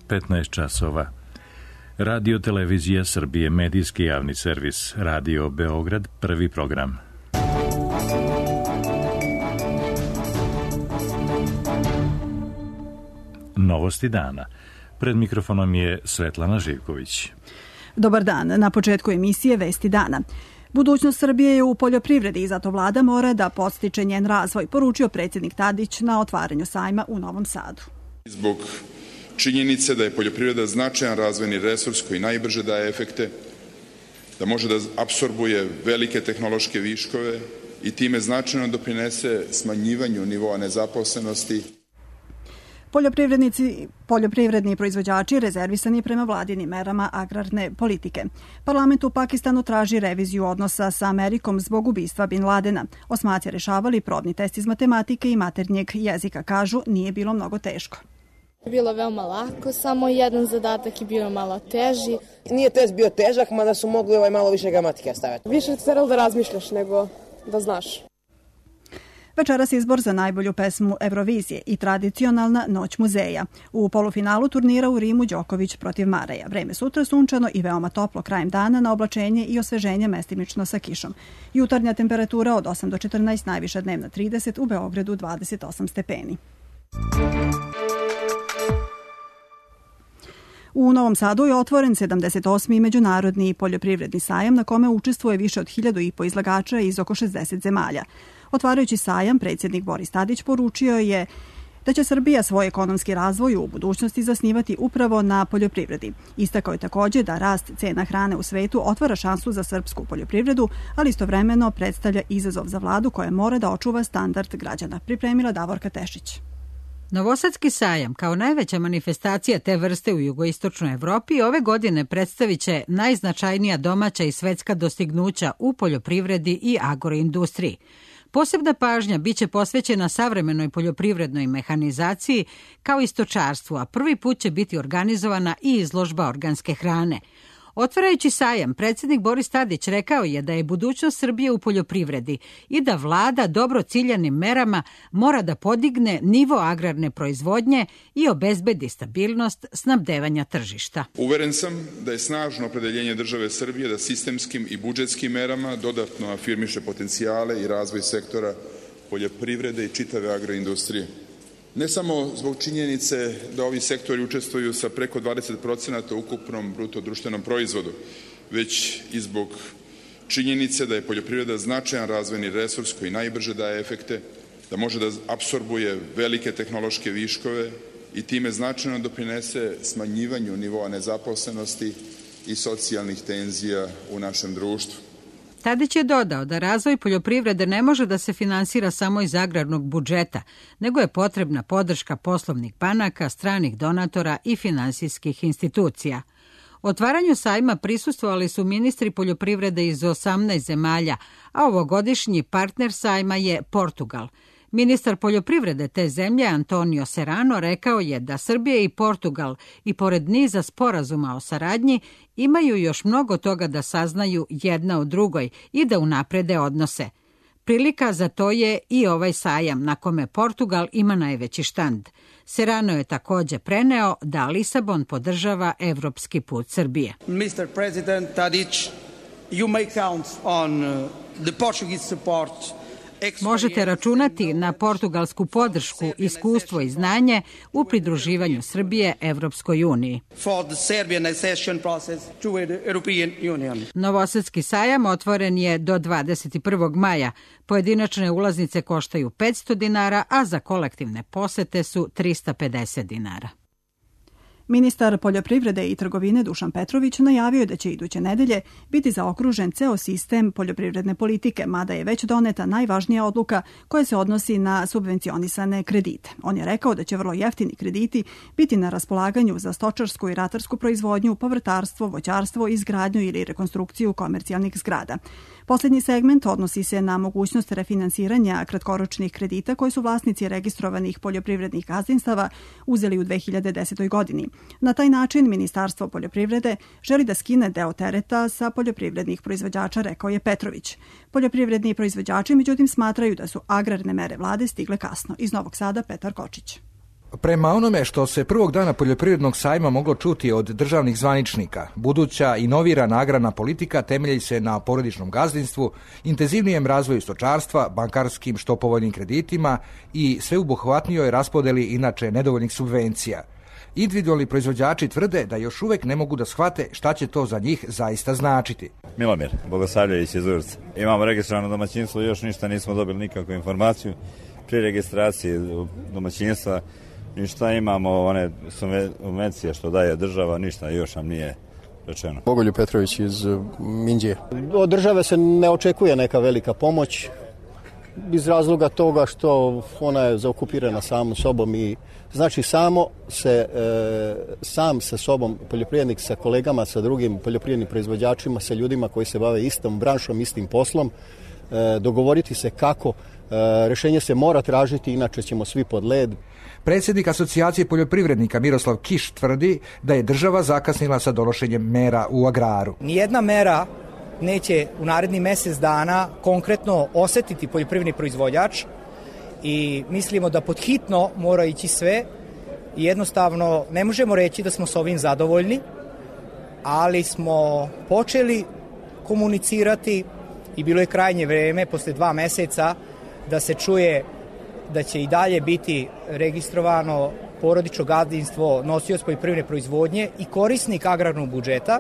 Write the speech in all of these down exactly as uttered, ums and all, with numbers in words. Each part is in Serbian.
petnaest časova. Radio Televizija Srbije, medijski javni servis, Radio Beograd, prvi program. Novosti dana. Pred mikrofonom je Svetlana Živković. Dobar dan. Na početku emisije Vesti dana. Budućnost Srbije je u poljoprivredi i zato vlada mora da podstiče njen razvoj, poručio predsjednik Tadić na otvaranju sajma u Novom Sadu. Zbog činjenice da je poljoprivreda značajan razvojni resurs koji najbrže daje efekte, da može da apsorbuje velike tehnološke viškove i time značajno doprinese smanjivanju nivoa nezaposlenosti. Poljoprivrednici, poljoprivredni proizvođači rezervisani prema vladinim merama agrarne politike. Parlament u Pakistanu traži reviziju odnosa sa Amerikom zbog ubistva Bin Ladena. Osmaci rešavali probni test iz matematike i maternjeg jezika. Kažu, nije bilo mnogo teško. Bilo veoma lako, samo jedan zadatak je bio malo teži. Nije test bio težak, mada su mogli ovaj malo više gramatike staviti. Više se trebalo da razmišljaš nego da znaš. Večeras izbor za najbolju pesmu Eurovizije i tradicionalna Noć muzeja. U polufinalu turnira u Rimu Đoković protiv Mareja. Vreme sutra sunčano i veoma toplo krajem dana na oblačenje i osveženje mestimično sa kišom. Jutarnja temperatura od osam do četrnaest, najviša dnevna trideset, u Beogradu dvadeset osam stepeni. U Novom Sadu je otvoren sedamdeset osmi međunarodni poljoprivredni sajam na kome učestvuje više od hiljadu i po izlagača iz oko šezdeset zemalja. Otvarajući sajam, predsjednik Boris Tadić poručio je da će Srbija svoj ekonomski razvoj u budućnosti zasnivati upravo na poljoprivredi. Istakao je također da rast cena hrane u svetu otvara šansu za srpsku poljoprivredu, ali istovremeno predstavlja izazov za vladu koja mora da očuva standard građana. Pripremila Davorka Tešić. Novosadski sajam, kao najveća manifestacija te vrste u jugoistočnoj Evropi, ove godine predstavit će najznačajnija domaća i svetska dostignuća u poljoprivredi i agroindustriji. Posebna pažnja biće posvećena savremenoj poljoprivrednoj mehanizaciji kao i stočarstvu, a prvi put će biti organizovana i izložba organske hrane. Otvarajući sajam, predsjednik Boris Tadić rekao je da je budućnost Srbije u poljoprivredi i da vlada dobro ciljanim merama mora da podigne nivo agrarne proizvodnje i obezbedi stabilnost snabdevanja tržišta. Uveren sam da je snažno opredeljenje države Srbije da sistemskim i budžetskim merama dodatno afirmiše potencijale i razvoj sektora poljoprivrede i čitave agroindustrije. Ne samo zbog činjenice da ovi sektori učestvuju sa preko dvadeset procenata u ukupnom bruto društvenom proizvodu, već i zbog činjenice da je poljoprivreda značajan razvojni resurs koji najbrže daje efekte, da može da apsorbuje velike tehnološke viškove i time značajno doprinese smanjivanju nivoa nezaposlenosti i socijalnih tenzija u našem društvu. Tadić je dodao da razvoj poljoprivrede ne može da se finansira samo iz agrarnog budžeta, nego je potrebna podrška poslovnih banaka, stranih donatora i finansijskih institucija. Otvaranju sajma prisustvovali su ministri poljoprivrede iz osamnaest zemalja, a ovogodišnji partner sajma je Portugal. Ministar poljoprivrede te zemlje Antonio Serrano rekao je da Srbija i Portugal i pored niza sporazuma o saradnji imaju još mnogo toga da saznaju jedna o drugoj i da unaprede odnose. Prilika za to je i ovaj sajam na kome Portugal ima najveći štand. Serrano je također preneo da Lisabon podržava evropski put Srbije. mister President Tadić, you may count on the Portuguese support. Možete računati na portugalsku podršku, iskustvo i znanje u pridruživanju Srbije Evropskoj uniji. Novosadski sajam otvoren je do dvadeset prvog maja. Pojedinačne ulaznice koštaju petsto dinara, a za kolektivne posete su trista pedeset dinara. Ministar poljoprivrede i trgovine Dušan Petrović najavio je da će iduće nedelje biti zaokružen ceo sistem poljoprivredne politike, mada je već doneta najvažnija odluka koja se odnosi na subvencionisane kredite. On je rekao da će vrlo jeftini krediti biti na raspolaganju za stočarsku i ratarsku proizvodnju, povrtarstvo, voćarstvo, izgradnju ili rekonstrukciju komercijalnih zgrada. Poslednji segment odnosi se na mogućnost refinansiranja kratkoročnih kredita koji su vlasnici registrovanih poljoprivrednih gazdinstava uzeli u dve hiljade desetoj godini. Na taj način Ministarstvo poljoprivrede želi da skine deo tereta sa poljoprivrednih proizvođača, rekao je Petrović. Poljoprivredni proizvođači međutim smatraju da su agrarne mere vlade stigle kasno. Iz Novog Sada Petar Kočić. Prema onome što se prvog dana poljoprivrednog sajma moglo čuti od državnih zvaničnika, buduća inovirana agrarna politika temelji se na porodičnom gazdinstvu, intenzivnijem razvoju stočarstva, bankarskim što povoljnim kreditima i sveobuhvatnijoj raspodeli inače nedovoljnih subvencija. Individualni proizvođači tvrde da još uvek ne mogu da shvate šta će to za njih zaista značiti. Milomir Bogosavljević iz Urca. Imamo registrovano domaćinstvo, još ništa nismo dobili nikakvu informaciju. Pri registraciji domaćinstva ništa, imamo one subvencije što daje država, ništa još nam nije rečeno. Bogoljub Petrović iz Minđije. Od države se ne očekuje neka velika pomoć iz razloga toga što ona je zaokupirana samom sobom i znači samo se e, sam sa sobom poljoprivrednik sa kolegama, sa drugim poljoprivrednim proizvođačima, sa ljudima koji se bave istom branšom, istim poslom, e, dogovoriti se kako. E, rešenje se mora tražiti, inače ćemo svi pod led. Predsjednik Asocijacije poljoprivrednika Miroslav Kiš tvrdi da je država zakasnila sa donošenjem mera u agraru. Nijedna mera neće u narednih mjesec dana konkretno osetiti poljoprivredni proizvođač i mislimo da pod hitno mora ići sve i jednostavno ne možemo reći da smo s ovim zadovoljni, ali smo počeli komunicirati i bilo je krajnje vreme posle dva meseca da se čuje da će i dalje biti registrovano porodično gazdinstvo nosioc poljoprivredne proizvodnje i korisnik agrarnog budžeta.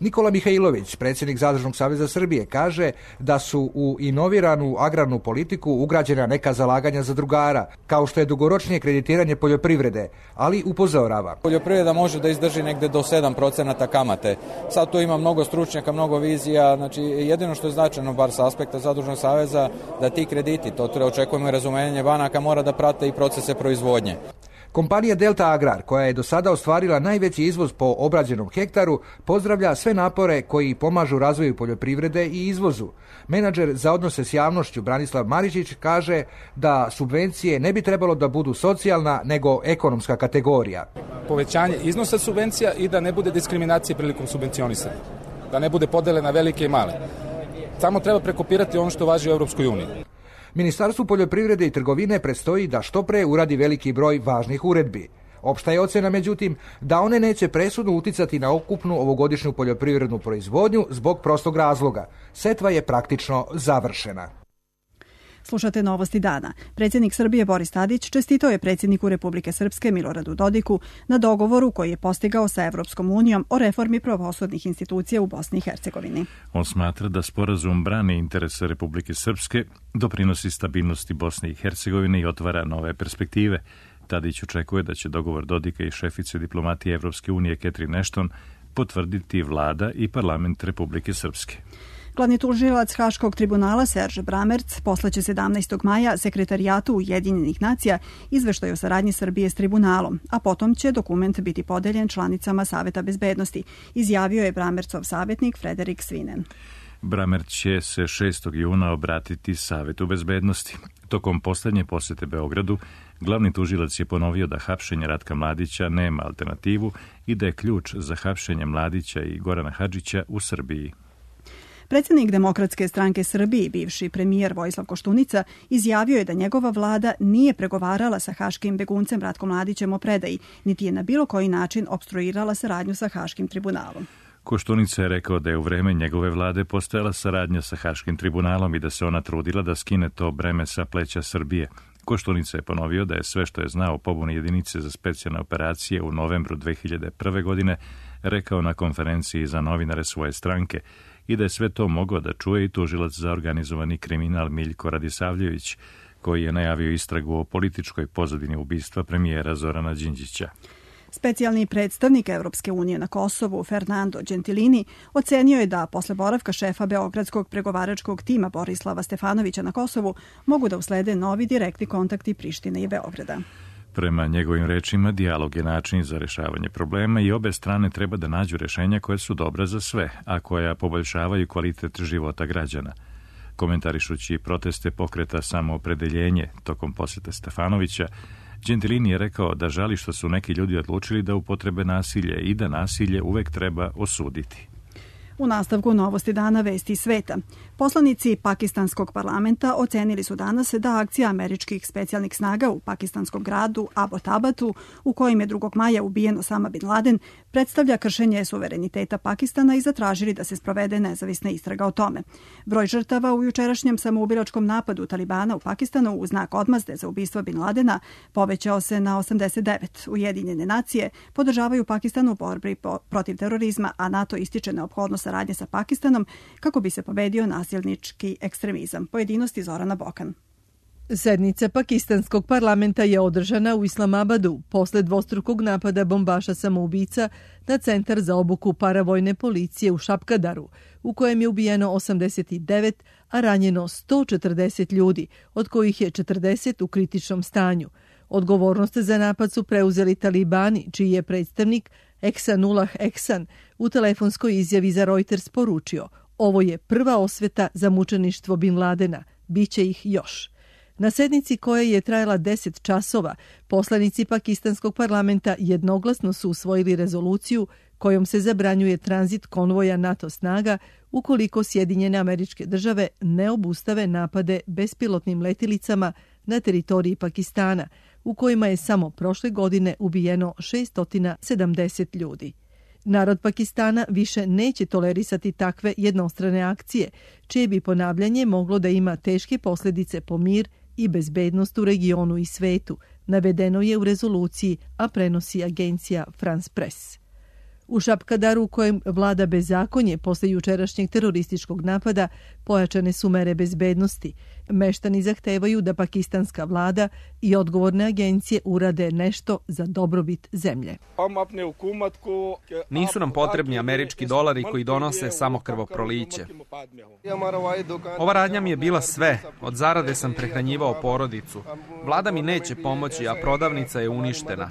Nikola Mihajlović, predsjednik Zadružnog saveza Srbije, kaže da su u inoviranu agrarnu politiku ugrađena neka zalaganja zadrugara, kao što je dugoročnije kreditiranje poljoprivrede, ali upozorava. Poljoprivreda može da izdrži negde do sedam procenata kamate. Sad tu ima mnogo stručnjaka, mnogo vizija, znači jedino što je značajno, bar sa aspekta Zadružnog saveza, da ti krediti, to treba očekujemo i razumenje banaka, mora da prate i procese proizvodnje. Kompanija Delta Agrar, koja je do sada ostvarila najveći izvoz po obrađenom hektaru, pozdravlja sve napore koji pomažu razvoju poljoprivrede i izvozu. Menadžer za odnose s javnošću Branislav Maričić kaže da subvencije ne bi trebalo da budu socijalna nego ekonomska kategorija. Povećanje iznosa subvencija i da ne bude diskriminacije prilikom subvencionisanja. Da ne bude podele na velike i male. Samo treba prekopirati ono što važi u Europskoj uniji. Ministarstvu poljoprivrede i trgovine predstoji da što pre uradi veliki broj važnih uredbi. Opšta je ocena, međutim, da one neće presudno uticati na ukupnu ovogodišnju poljoprivrednu proizvodnju zbog prostog razloga. Setva je praktično završena. Slušate Novosti dana. Predsjednik Srbije Boris Tadić čestitao je predsjedniku Republike Srpske Miloradu Dodiku na dogovoru koji je postigao sa Evropskom unijom o reformi pravosudnih institucija u Bosni i Hercegovini. On smatra da sporazum brani interese Republike Srpske, doprinosi stabilnosti Bosne i Hercegovine i otvara nove perspektive. Tadić očekuje da će dogovor Dodika i šefice diplomatije Evropske unije Catherine Ashton potvrditi vlada i parlament Republike Srpske. Glavni tužilac Haškog tribunala Serge Bramerc poslaće sedamnaestog maja Sekretarijatu Ujedinjenih nacija izveštaj o saradnji Srbije s tribunalom, a potom će dokument biti podeljen članicama Saveta bezbednosti, izjavio je Bramercov savjetnik Frederik Svinen. Bramerc će se šestog juna obratiti Savetu bezbednosti. Tokom poslednje posete Beogradu, glavni tužilac je ponovio da hapšenje Ratka Mladića nema alternativu i da je ključ za hapšenje Mladića i Gorana Hadžića u Srbiji. Predsjednik Demokratske stranke Srbije, bivši premijer Vojislav Koštunica, izjavio je da njegova vlada nije pregovarala sa haškim beguncem Ratkom Mladićem o predaji, niti je na bilo koji način opstruirala saradnju sa Haškim tribunalom. Koštunica je rekao da je u vreme njegove vlade postojala saradnja sa Haškim tribunalom i da se ona trudila da skine to breme sa pleća Srbije. Koštunica je ponovio da je sve što je znao o pobuni jedinice za specijalne operacije u novembru dve hiljade prve. godine rekao na konferenciji za novinare svoje stranke i da je sve to mogao da čuje i tužilac za organizovani kriminal Miljko Radisavljević, koji je najavio istragu o političkoj pozadini ubistva premijera Zorana Đinđića. Specijalni predstavnik Evropske unije na Kosovu, Fernando Gentilini, ocenio je da posle boravka šefa Beogradskog pregovaračkog tima Borislava Stefanovića na Kosovu mogu da uslede novi direktni kontakti Prištine i Beograda. Prema njegovim rečima, dijalog je način za rešavanje problema i obe strane treba da nađu rešenja koje su dobra za sve, a koja poboljšavaju kvalitet života građana. Komentarišući proteste pokreta Samoopredeljenje tokom posete Stefanovića, Gentilini je rekao da žali što su neki ljudi odlučili da upotrebe nasilje i da nasilje uvek treba osuditi. U nastavku novosti dana vesti sveta. Poslanici pakistanskog parlamenta ocenili su danas da akcija američkih specijalnih snaga u pakistanskom gradu Abbottabadu, u kojem je drugog maja ubijen Osama bin Laden, predstavlja kršenje suvereniteta Pakistana i zatražili da se sprovede nezavisna istraga o tome. Broj žrtava u jučerašnjem samoubilačkom napadu Talibana u Pakistanu u znak odmazde za ubistvo bin Ladena povećao se na osamdeset devet. Ujedinjene nacije podržavaju Pakistan u borbi protiv terorizma, a NATO ističe neophodnost saradnje sa Pakistanom kako bi se pobedio nasilnički ekstremizam. Pojedinosti Zorana Bokan. Sednica pakistanskog parlamenta je održana u Islamabadu posle dvostrukog napada bombaša samoubica na centar za obuku paravojne policije u Šapkadaru, u kojem je ubijeno osamdeset devet, a ranjeno sto četrdeset ljudi, od kojih je četrdeset u kritičnom stanju. Odgovornost za napad su preuzeli Talibani, čiji je predstavnik Ehsanullah Ehsan u telefonskoj izjavi za Reuters poručio: ovo je prva osveta za mučeništvo bin Ladena, biće ih još. Na sednici koja je trajala deset časova, poslanici pakistanskog parlamenta jednoglasno su usvojili rezoluciju kojom se zabranjuje tranzit konvoja NATO snaga ukoliko Sjedinjene Američke Države ne obustave napade bespilotnim letilicama na teritoriji Pakistana, u kojima je samo prošle godine ubijeno šesto sedamdeset ljudi. Narod Pakistana više neće tolerisati takve jednostrane akcije, čije bi ponavljanje moglo da ima teške posljedice po mir i bezbednost u regionu i svetu, navedeno je u rezoluciji, a prenosi agencija France Press. U Šapkadaru, u kojem vlada bezakonje posle jučerašnjeg terorističkog napada, pojačane su mere bezbednosti. Meštani zahtevaju da pakistanska vlada i odgovorne agencije urade nešto za dobrobit zemlje. Nisu nam potrebni američki dolari koji donose samo krvoproliće. Ova radnja mi je bila sve. Od zarade sam prehranjivao porodicu. Vlada mi neće pomoći, a prodavnica je uništena.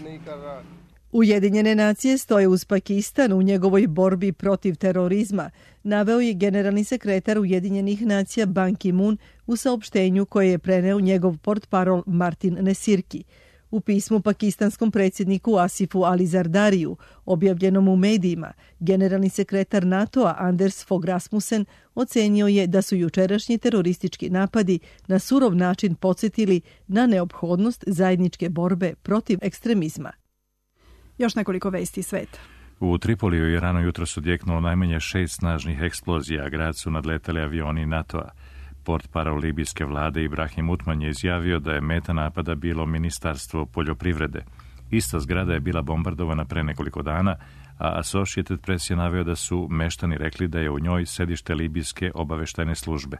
Ujedinjene nacije stoje uz Pakistan u njegovoj borbi protiv terorizma, naveo je generalni sekretar Ujedinjenih nacija Ban Ki-moon u saopštenju koje je preneo njegov portparol Martin Nesirki. U pismu pakistanskom predsjedniku Asifu Ali Zardariju, objavljenom u medijima, generalni sekretar NATO-a Anders Fogh Rasmussen ocenio je da su jučerašnji teroristički napadi na surov način podsjetili na neophodnost zajedničke borbe protiv ekstremizma. Još nekoliko vesti sveta. U Tripoliju i Iranu jutro su odjeknulo najmanje šest snažnih eksplozija, a grad su nadletali avioni NATO-a. Portparol libijske vlade Ibrahim Utman je izjavio da je meta napada bilo Ministarstvo poljoprivrede. Ista zgrada je bila bombardovana pre nekoliko dana, a Associated Press je naveo da su meštani rekli da je u njoj sedište libijske obaveštajne službe.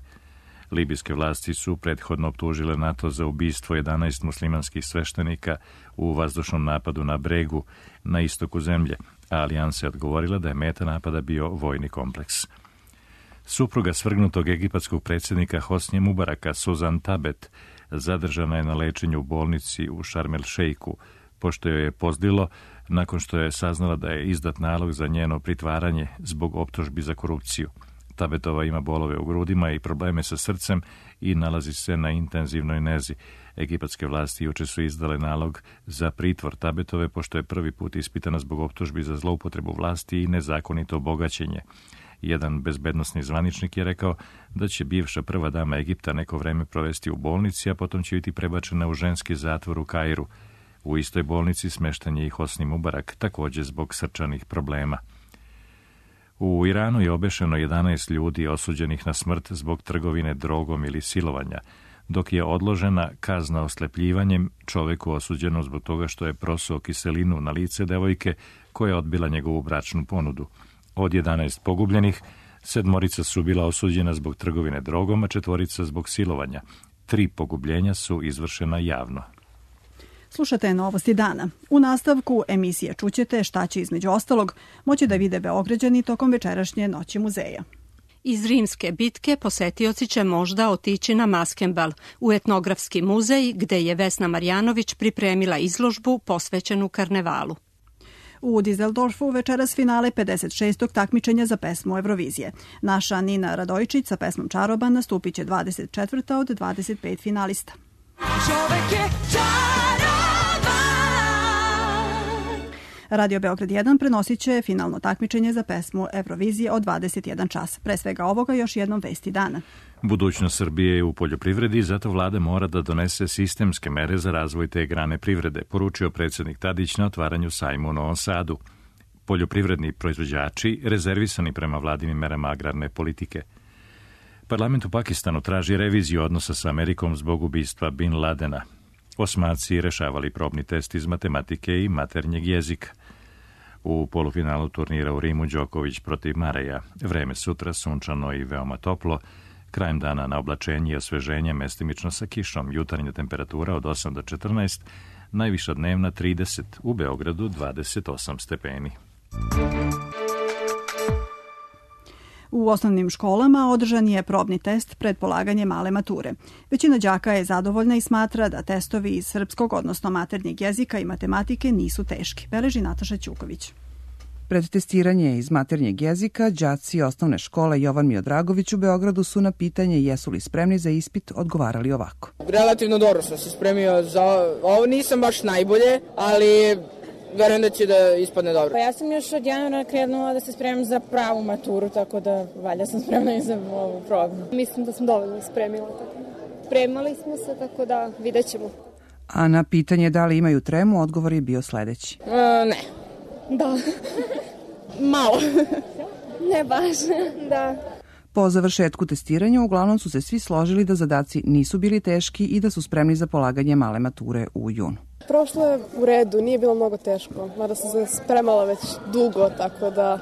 Libijske vlasti su prethodno optužile NATO za ubistvo jedanaest muslimanskih sveštenika u vazdušnom napadu na Bregu, na istoku zemlje, a alijansa je odgovorila da je meta napada bio vojni kompleks. Supruga svrgnutog egipatskog predsjednika Hosnije Mubaraka, Suzan Tabet, zadržana je na lečenju u bolnici u Sharm el Sheikhu, pošto joj je pozdilo nakon što je saznala da je izdat nalog za njeno pritvaranje zbog optužbi za korupciju. Tabetova ima bolove u grudima i probleme sa srcem i nalazi se na intenzivnoj nezi. Egipatske vlasti juče su izdale nalog za pritvor Tabetove, pošto je prvi put ispitana zbog optužbi za zloupotrebu vlasti i nezakonito bogaćenje. Jedan bezbednosni zvaničnik je rekao da će bivša prva dama Egipta neko vreme provesti u bolnici, a potom će biti prebačena u ženski zatvor u Kairu. U istoj bolnici smešten je i Hosni Mubarak, također zbog srčanih problema. U Iranu je obešeno jedanaest ljudi osuđenih na smrt zbog trgovine drogom ili silovanja, dok je odložena kazna oslepljivanjem čoveku osuđenom zbog toga što je prosuo kiselinu na lice devojke koja je odbila njegovu bračnu ponudu. Od jedanaest pogubljenih, sedmorica su bila osuđena zbog trgovine drogom, a četvorica zbog silovanja. Tri pogubljenja su izvršena javno. Slušate novosti dana. U nastavku emisije čućete šta će između ostalog moći da vide Beograđani tokom večerašnje noći muzeja. Iz rimske bitke posetioci će možda otići na Maskembal, u etnografski muzej gde je Vesna Marjanović pripremila izložbu posvećenu karnevalu. U Dizeldorfu večeras finale pedeset šestog takmičenja za pesmu Eurovizije. Naša Nina Radojčić sa pesmom Čaroban nastupit će dvadeset četvrta od dvadeset pet finalista. Čovek je čaroban. Radio Beograd jedan prenosit će finalno takmičenje za pesmu Eurovizije od dvadeset jedan čas. Pre svega ovoga još jednom vesti dana. Budućnost Srbije je u poljoprivredi, zato vlada mora da donese sistemske mere za razvoj te grane privrede, poručio predsjednik Tadić na otvaranju sajma u Novom Sadu. Poljoprivredni proizvođači rezervisani prema vladinim merama agrarne politike. Parlament u Pakistanu traži reviziju odnosa sa Amerikom zbog ubistva Bin Ladena. Osmaci rešavali probni test iz matematike i maternjeg jezika. U polufinalu turnira u Rimu Đoković protiv Mareja. Vreme sutra sunčano i veoma toplo. Krajem dana na oblačenje i osveženje mestimično sa kišom. Jutarnja temperatura od osam do četrnaest, najviša dnevna trideset, u Beogradu dvadeset osam stepeni. U osnovnim školama održan je probni test pred polaganje male mature. Većina đaka je zadovoljna i smatra da testovi iz srpskog, odnosno maternjeg jezika i matematike nisu teški, beleži Nataša Ćuković. Pred testiranje iz maternjeg jezika, đaci osnovne škole Jovan Miodragović u Beogradu su na pitanje jesu li spremni za ispit odgovarali ovako. Relativno dobro sam se spremio za ovo, nisam baš najbolje, ali verujem da će da ispadne dobro. Pa ja sam još od januara krenula da se spremam za pravu maturu, tako da valjda sam spremna i za ovu probnu. Mislim da sam dovoljno spremila. Tako da. Spremali smo se, tako da vidjet ćemo. A na pitanje da li imaju tremu, odgovor je bio sledeći. E, ne. Da. Malo. Ne baš, da. Po završetku testiranja uglavnom su se svi složili da zadaci nisu bili teški i da su spremni za polaganje male mature u junu. Prošlo je u redu, nije bilo mnogo teško, mada sam se spremala već dugo, tako da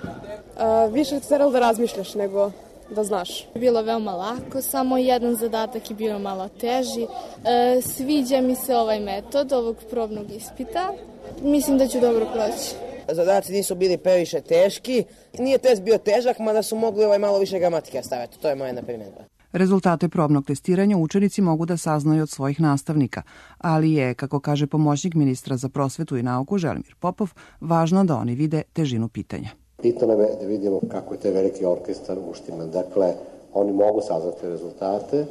a, više ti trebalo da razmišljaš nego da znaš. Bilo veoma lako, samo jedan zadatak je bio malo teži. E, sviđa mi se ovaj metod ovog probnog ispita. Mislim da ću dobro proći. Zadaci nisu bili previše teški. Nije test bio težak, mada su mogli ovaj malo više gramatike staviti. To je moja primjedba. Rezultate probnog testiranja učenici mogu da saznaju od svojih nastavnika, ali je, kako kaže pomoćnik ministra za prosvetu i nauku Želimir Popov, važno da oni vide težinu pitanja. Bitno nam je da vidimo kako je taj veliki orkestar uštiman. Dakle, oni mogu saznati rezultate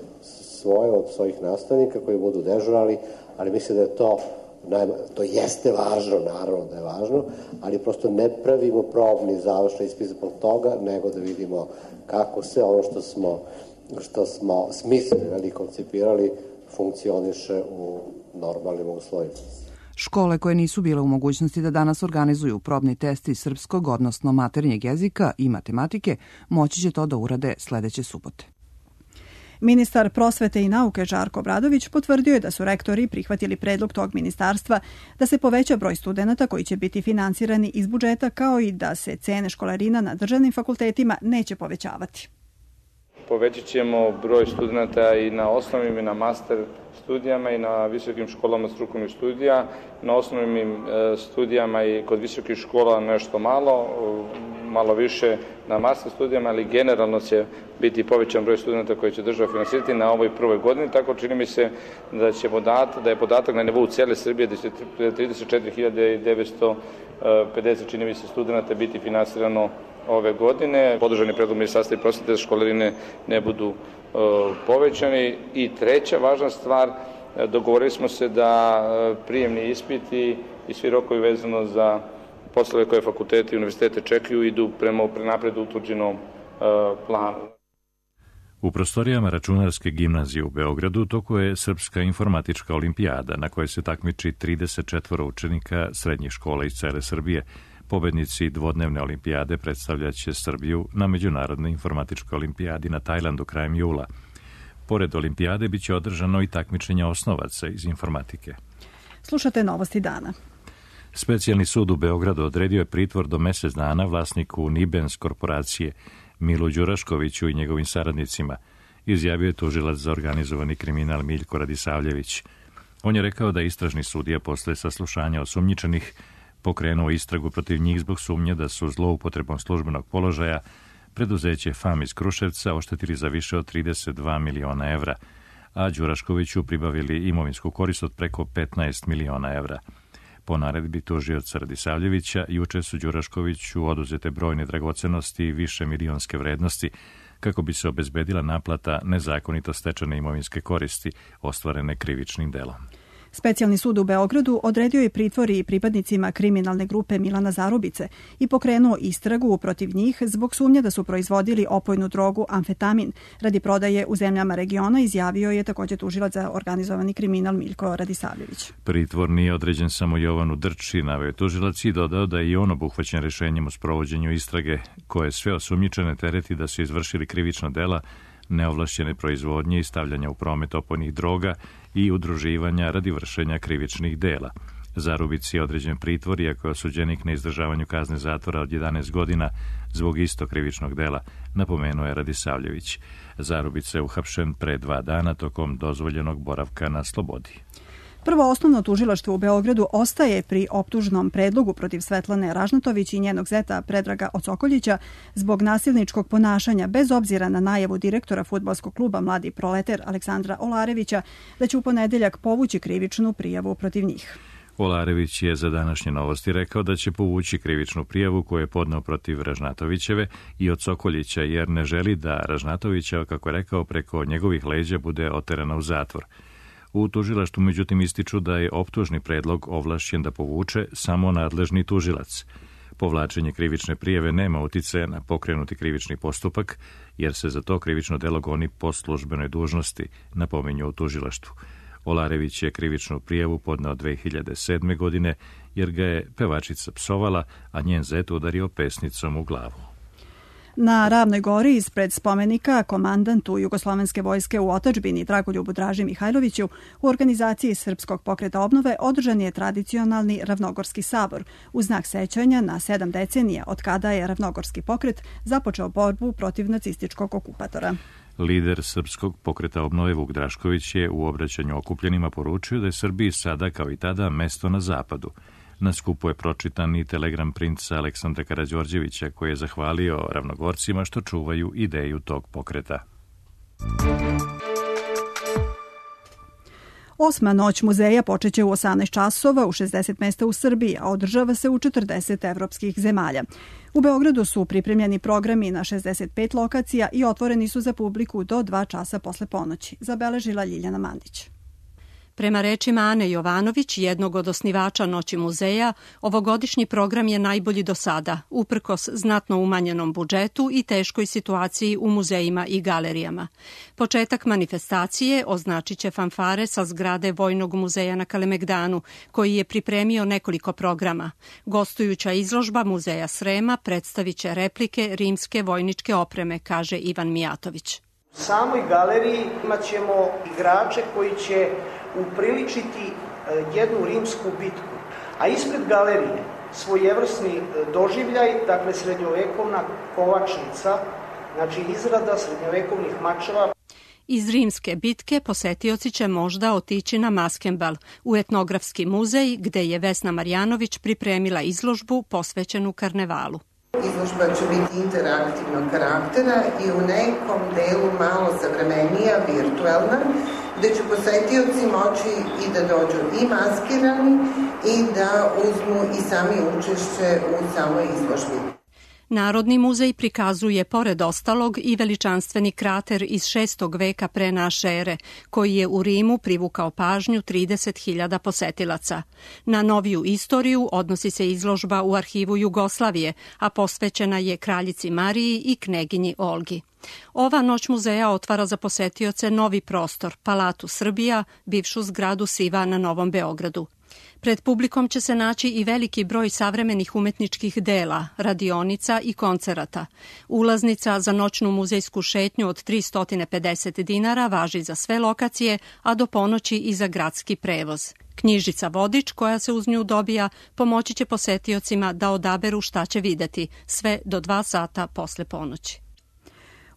svoje od svojih nastavnika koji budu dežurali, ali mislim da je to to jeste važno, naravno da je važno, ali prosto ne pravimo probni završni ispit zbog toga, nego da vidimo kako se ono što smo, što smo smislili i koncipirali funkcioniše u normalnim uslovima. Škole koje nisu bile u mogućnosti da danas organizuju probni test iz srpskog, odnosno maternjeg jezika i matematike, moći će to da urade sledeće subote. Ministar prosvete i nauke Žarko Obradović potvrdio je da su rektori prihvatili predlog tog ministarstva da se poveća broj studenata koji će biti finansirani iz budžeta, kao i da se cene školarina na državnim fakultetima neće povećavati. Povećat ćemo broj studenata i na osnovnim i na master studijama i na visokim školama strukovnih studija. Na osnovnim studijama i kod visokih škola nešto malo, malo više na master studijama, ali generalno će biti povećan broj studenta koji će država finansirati na ovoj prvoj godini. Tako čini mi se da će podatak, da je podatak na nivou cijele Srbije da će trideset četiri hiljade devetsto pedeset čini mi se studenta biti finansirano ove godine. Podržani predlog ministarstva i prosvete da školarine ne budu uh, povećani. I treća važna stvar, dogovorili smo se da prijemni ispiti i svi rokovi vezano za poslove koje fakulteti i univerzitete čekaju idu prema prenapred utvrđenom uh, planu. U prostorijama Računarske gimnazije u Beogradu toku je Srpska informatička olimpijada na kojoj se takmiči trideset četvoro učenika srednjih škola iz cele Srbije. Pobednici dvodnevne olimpijade predstavljaće Srbiju na Međunarodnoj informatičkoj olimpijadi na Tajlandu krajem jula. Pored olimpijade biće održano i takmičenje osnovaca iz informatike. Slušate novosti dana. Specijalni sud u Beogradu odredio je pritvor do mesec dana vlasniku Nibens korporacije Milu Đuraškoviću i njegovim saradnicima, izjavio je tužilac za organizovani kriminal Miljko Radisavljević. On je rekao da istražni sudija posle saslušanja osumnjičenih pokrenuo istragu protiv njih zbog sumnje da su zloupotrebom službenog položaja preduzeće F A M iz Kruševca oštetili za više od trideset dva miliona evra, a Đuraškoviću pribavili imovinsku korist od preko petnaest miliona evra. Po naredbi tužioca Radisavljevića, juče su Đuraškoviću oduzete brojne dragocenosti i više milionske vrednosti, kako bi se obezbedila naplata nezakonito stečene imovinske koristi ostvarene krivičnim delom. Specijalni sud u Beogradu odredio je pritvor i pripadnicima kriminalne grupe Milana Zarubice i pokrenuo istragu protiv njih zbog sumnje da su proizvodili opojnu drogu amfetamin radi prodaje u zemljama regiona, izjavio je također tužilac za organizovani kriminal Miljko Radisavljević. Pritvor nije određen samo Jovanu Drči, naveo je tužilac i dodao da je i on obuhvaćen rešenjem o sprovođenju istrage koje sve osumnjičene tereti da su izvršili krivična dela neovlašćene proizvodnje i stavljanja u promet opojnih droga i udruživanja radi vršenja krivičnih dela. Zarubici je određen pritvor, iako je osuđenik na izdržavanju kazne zatvora od jedanaest godina zbog istog krivičnog dela, napomenuo je Radisavljević. Zarubica je uhapšen pre dva dana tokom dozvoljenog boravka na slobodi. Prvo osnovno tužilaštvo u Beogradu ostaje pri optužnom predlogu protiv Svetlane Ražnatović i njenog zeta Predraga Osokoljića zbog nasilničkog ponašanja, bez obzira na najavu direktora fudbalskog kluba Mladi proleter Aleksandra Olarevića da će u ponedeljak povući krivičnu prijavu protiv njih. Olarević je za današnje novosti rekao da će povući krivičnu prijavu koju je podneo protiv Ražnatovićeve i od Sokoljića, jer ne želi da Ražnatovića, kako je rekao, preko njegovih leđa bude oterana u zatvor. U tužilaštvu međutim ističu da je optužni predlog ovlašćen da povuče samo nadležni tužilac. Povlačenje krivične prijave nema uticaja na pokrenuti krivični postupak, jer se za to krivično delo goni po službenoj dužnosti, napominju u tužilaštvu. Olarević je krivičnu prijavu podneo dve hiljade sedme. godine, jer ga je pevačica psovala, a njen zet udario pesnicom u glavu. Na Ravnoj gori ispred spomenika komandantu Jugoslovenske vojske u otadžbini Dragoljubu Draži Mihajloviću u organizaciji Srpskog pokreta obnove održan je tradicionalni Ravnogorski sabor u znak sećanja na sedam decenija od kada je Ravnogorski pokret započeo borbu protiv nacističkog okupatora. Lider Srpskog pokreta obnove Vuk Drašković je u obraćanju okupljenima poručio da je Srbiji sada kao i tada mesto na zapadu. Na skupu je pročitan i telegram princa Aleksandra Karađorđevića koji je zahvalio Ravnogorcima što čuvaju ideju tog pokreta. Osma noć muzeja počeće u osamnaest časova u šezdeset mesta u Srbiji, a održava se u četrdeset evropskih zemalja. U Beogradu su pripremljeni programi na šezdeset pet lokacija i otvoreni su za publiku do dva časa posle ponoći, zabeležila Ljiljana Mandić. Prema rečima Ane Jovanović, jednog od osnivača Noći muzeja, ovogodišnji program je najbolji do sada, uprkos znatno umanjenom budžetu i teškoj situaciji u muzejima i galerijama. Početak manifestacije označit će fanfare sa zgrade Vojnog muzeja na Kalemegdanu, koji je pripremio nekoliko programa. Gostujuća izložba Muzeja Srema predstavit će replike rimske vojničke opreme, kaže Ivan Mijatović. U samoj galeriji imat ćemo igrače koji će upriličiti jednu rimsku bitku, a ispred galerije svojevrsni doživljaj, dakle srednjovekovna kovačnica, znači izrada srednjovekovnih mačeva. Iz rimske bitke posetioci će možda otići na Maskenbal, u etnografski muzej gde je Vesna Marjanović pripremila izložbu posvećenu karnevalu. Izložba će biti interaktivnog karaktera i u nekom delu malo savremenija, virtuelna, gde će posetioci moći i da dođu i maskirani i da uzmu i sami učešće u samoj izložbi. Narodni muzej prikazuje, pored ostalog, i veličanstveni krater iz šestog veka pre naše ere, koji je u Rimu privukao pažnju trideset hiljada posetilaca. Na noviju istoriju odnosi se izložba u arhivu Jugoslavije, a posvećena je kraljici Mariji i kneginji Olgi. Ova noć muzeja otvara za posetioce novi prostor, Palatu Srbija, bivšu zgradu Siva na Novom Beogradu. Pred publikom će se naći i veliki broj savremenih umetničkih dela, radionica i koncerata. Ulaznica za noćnu muzejsku šetnju od tristo pedeset dinara važi za sve lokacije, a do ponoći i za gradski prevoz. Knjižica Vodič, koja se uz nju dobija, pomoći će posetiocima da odaberu šta će videti, sve do dva sata posle ponoći.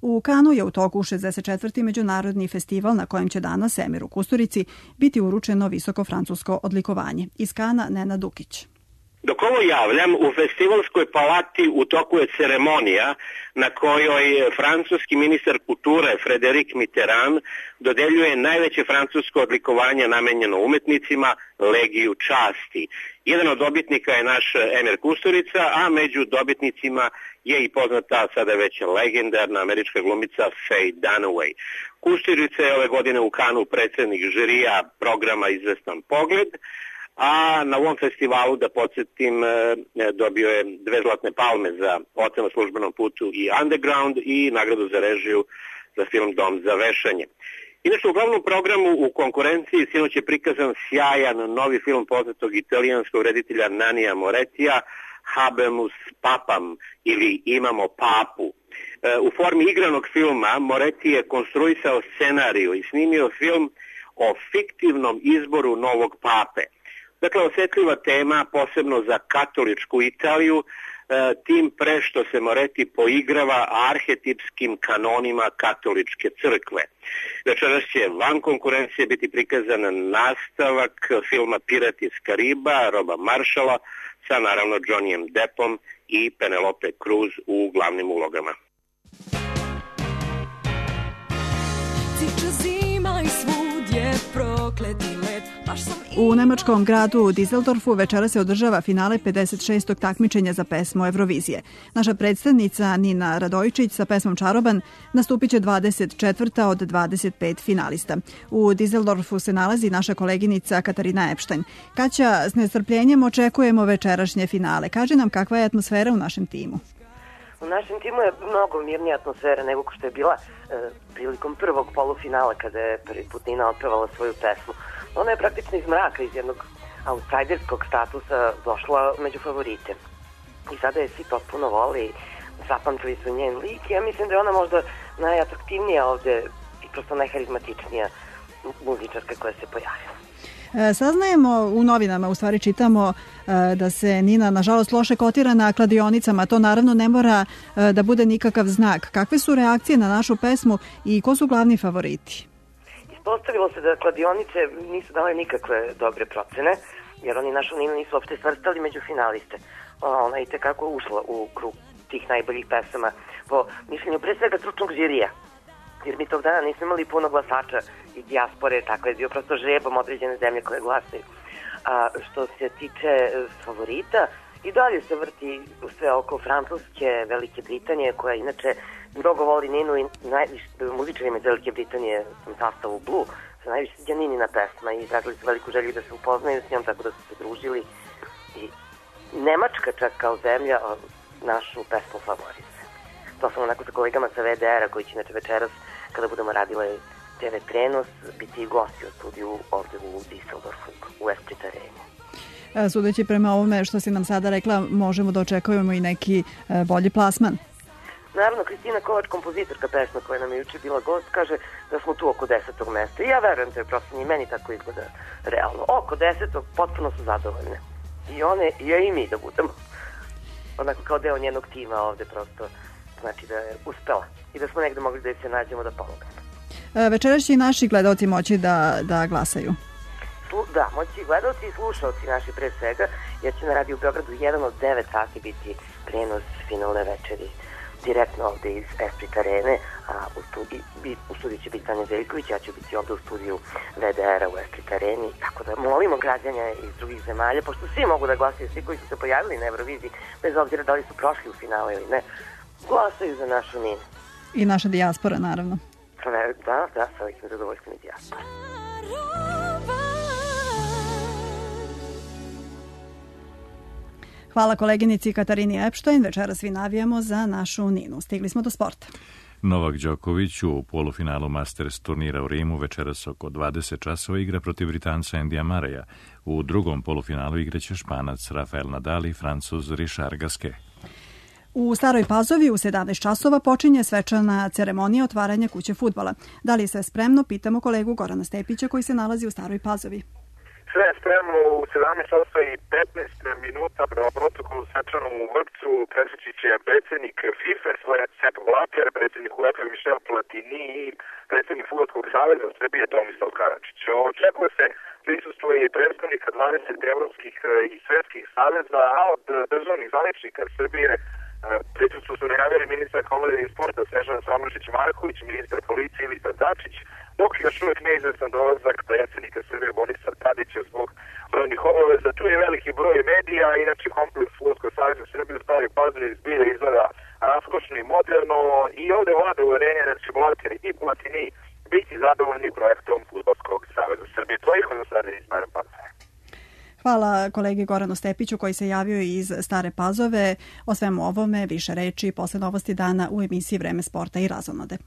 U Kanu je u toku šezdeset četvrti međunarodni festival na kojem će danas Emiru Kusturici biti uručeno visoko francusko odlikovanje. Iz Kana Nena Dukić. Dok ovo javljam, u festivalskoj palati u toku je ceremonija na kojoj francuski ministar kulture Frédéric Mitterrand dodeljuje najveće francusko odlikovanje namenjeno umetnicima, Legiju časti. Jedan od dobitnika je naš Emir Kusturica, a među dobitnicima je i poznata, sada već legendarna američka glumica Faye Dunaway. Kusturica je ove godine u Kanu predsjednik žirija programa Izvestan pogled, a na ovom festivalu, da podsjetim, dobio je dve zlatne palme za ocenu na službenom putu i Underground i nagradu za režiju za film Dom za vešanje. Inače, u glavnom programu u konkurenciji sinoć je prikazan sjajan novi film poznatog italijanskog reditelja Nanija Morettija, Habemus Papam ili Imamo papu. U formi igranog filma Moretti je konstruisao scenariju i snimio film o fiktivnom izboru novog pape. Dakle, osjetljiva tema, posebno za katoličku Italiju, tim pre što se Moretti poigrava arhetipskim kanonima katoličke crkve. Večeras će van konkurencije biti prikazan nastavak filma Pirati iz Kariba, Roba Marshalla, sa naravno Johnnyem Deppom i Penelope Cruz u glavnim ulogama. U nemačkom gradu Düsseldorfu večera se održava finale pedeset šestog takmičenja za pesmu Eurovizije. Naša predstavnica Nina Radojičić sa pesmom Čaroban nastupit će dvadeset četvrta od dvadeset pet finalista. U Düsseldorfu se nalazi naša koleginica Katarina Epštajn. Kaća, s nestrpljenjem očekujemo večerašnje finale. Kaži nam kakva je atmosfera u našem timu. U našem timu je mnogo mirnija atmosfera nego što je bila e, prilikom prvog polufinala kada je prvi put Nina otpevala svoju pesmu. Ona je praktično iz mraka, iz jednog outsiderskog statusa došla među favorite. I sada je svi potpuno voli, zapamtili su njen lik i ja mislim da je ona možda najatraktivnija ovde i prosto najharizmatičnija muzičarka koja se pojavila. Saznajemo u novinama, u stvari čitamo da se Nina nažalost loše kotira na kladionicama. To naravno ne mora da bude nikakav znak. Kakve su reakcije na našu pesmu i ko su glavni favoriti? Ispostavilo se da kladionice nisu dale nikakve dobre procene, jer oni našu Ninu nisu uopšte svrstali među finaliste. Ona je itekako ušla u krug tih najboljih pesama po mišljenju pre svega stručnog žirija. Jer mi tog dana nismo imali puno glasača i dijaspore, tako je bio prosto žrebom određene zemlje koje glasaju. A što se tiče favorita, i dalje se vrti sve oko Francuske, Velike Britanije, koja inače mnogo voli Ninu i najviše muzičarima iz Velike Britanije u sastavu Blue, se najviše sviđa Ninina pesma i izrazili su veliku želju da se upoznaju s njom, tako da su se družili. I Nemačka čak kao zemlja našu pesmu favorizuje. To sam onako sa kolegama sa V D R-a koji će inače večeras, kada budemo radile te ve prenos, biti i gosti u studiju ovde u Düsseldorfu, u Esprit Areni. Sudeći prema ovome što si nam sada rekla, možemo da očekujemo i neki bolji plasman. Naravno, Kristina Kovač, kompozitorka pesma koja nam je juče bila gost, kaže da smo tu oko desetog mesta. I ja verujem to je prosto i meni tako izgleda realno. Oko desetog potpuno su zadovoljne. I one, i ja i mi da budemo. Onako kao deo njenog tima ovde prosto. Znači da je uspela i da smo negde mogli da se nađemo da pomognemo. Večeras će i naši gledalci moći da, da glasaju. Slu, da, moći i gledalci i slušalci naši pre svega, jer će na Radio Beogradu jedan od devet sati biti prenos finalne večeri direktno ovde iz Esprit Arene, a u studiju, u studiju će biti Tanja Zeljković, ja ću biti ovde u studiju V D R-a u Esprit Areni, tako da molimo građanja iz drugih zemalja, pošto svi mogu da glasaju, svi koji su se pojavili na Euroviziji, bez obzira da li su prošli u finale ili ne, glasaju za našu Ninu. I naša dijaspora, naravno. Da, da, sa velikim zadovoljstvom i dijaspora. Hvala koleginici Katarini Epštajn. Večeras svi navijamo za našu Ninu. Stigli smo do sporta. Novak Đoković u polufinalu Masters turnira u Rimu večeras oko dvadeset časova igra protiv Britanca Endija Mareja. U drugom polufinalu igraće Španac Rafael Nadal i Francuz Richard Gasquet. U Staroj Pazovi u sedamnaest časova počinje svečana ceremonija otvaranja kuće fudbala. Da li je sve spremno? Pitamo kolegu Gorana Stepića koji se nalazi u Staroj Pazovi. Sve je spremno u sedamnaest časova i petnaest minuta prema protokolu svečanom u Vrpcu. Presjeći će predsjednik FIFA svoje Sepp Blatter, predsjednik UEFA Michel Platini i predsjednik Fudbalskog saveza Srbije Tomislav Karadžić. Očekuje se prisustvo i predstavnika dvadeset evropskih i svetskih saveza, a od državnih zvaničnika Srbije prisustvo su najavili ministar omladine i sporta Snežana Samošić-Marković, ministar policije Ivica Dačić, dok još uvijek neizvestan dolazak predsjednika Srbije Borisa Tadića zbog brojnih obaveza. Tu je veliki broj medija, inače kompleks Fudbalskog saveza Srbije u Staroj Pazovi zbilja izgleda raskošno i moderno i ovde vlada uverenje da će Blater i Platini biti zadovoljni projektom Fudbalskog saveza Srbije. To je od sada iz Stare Pazove. Hvala kolegi Goranu Stepiću koji se javio iz Stare Pazove. O svemu ovome više reči posle novosti dana u emisiji Vreme sporta i razonode.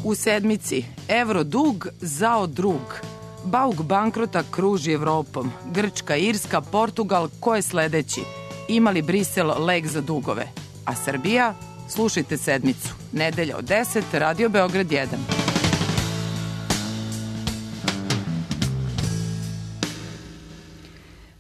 U sedmici evro dug zao drug. Bauk bankrota kruži Evropom. Grčka, Irska, Portugal, ko je sledeći? Ima li Brisel lek za dugove? A Srbija? Slušajte sedmicu. Nedelja od deset, Radio Beograd jedan.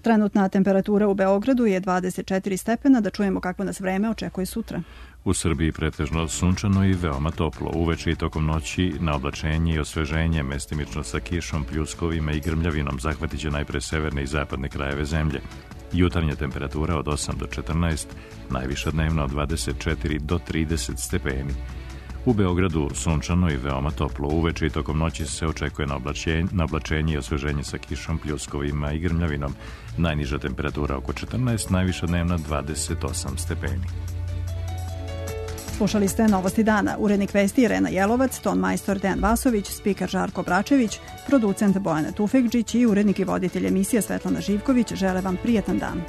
Trenutna temperatura u Beogradu je dvadeset četiri stepena. Da čujemo kako nas vreme očekuje sutra. U Srbiji pretežno sunčano i veoma toplo. Uveče i tokom noći na oblačenje i osveženje, mestimično sa kišom, pljuskovima i grmljavinom, zahvatit će najpre severne i zapadne krajeve zemlje. Jutarnja temperatura od osam do četrnaest, najviša dnevna od dvadeset četiri do trideset stepeni. U Beogradu sunčano i veoma toplo. Uveče i tokom noći se očekuje na oblačenje, na oblačenje i osveženje sa kišom, pljuskovima i grmljavinom. Najniža temperatura oko četrnaest, najviša dnevna dvadeset osam stepeni. Slušali ste Novosti dana. Urednik vesti Irena Jelovac, ton majstor Dejan Vasović, spiker Žarko Bračević, producent Bojana Tufekđić i urednik i voditelj emisije Svetlana Živković žele vam prijatan dan.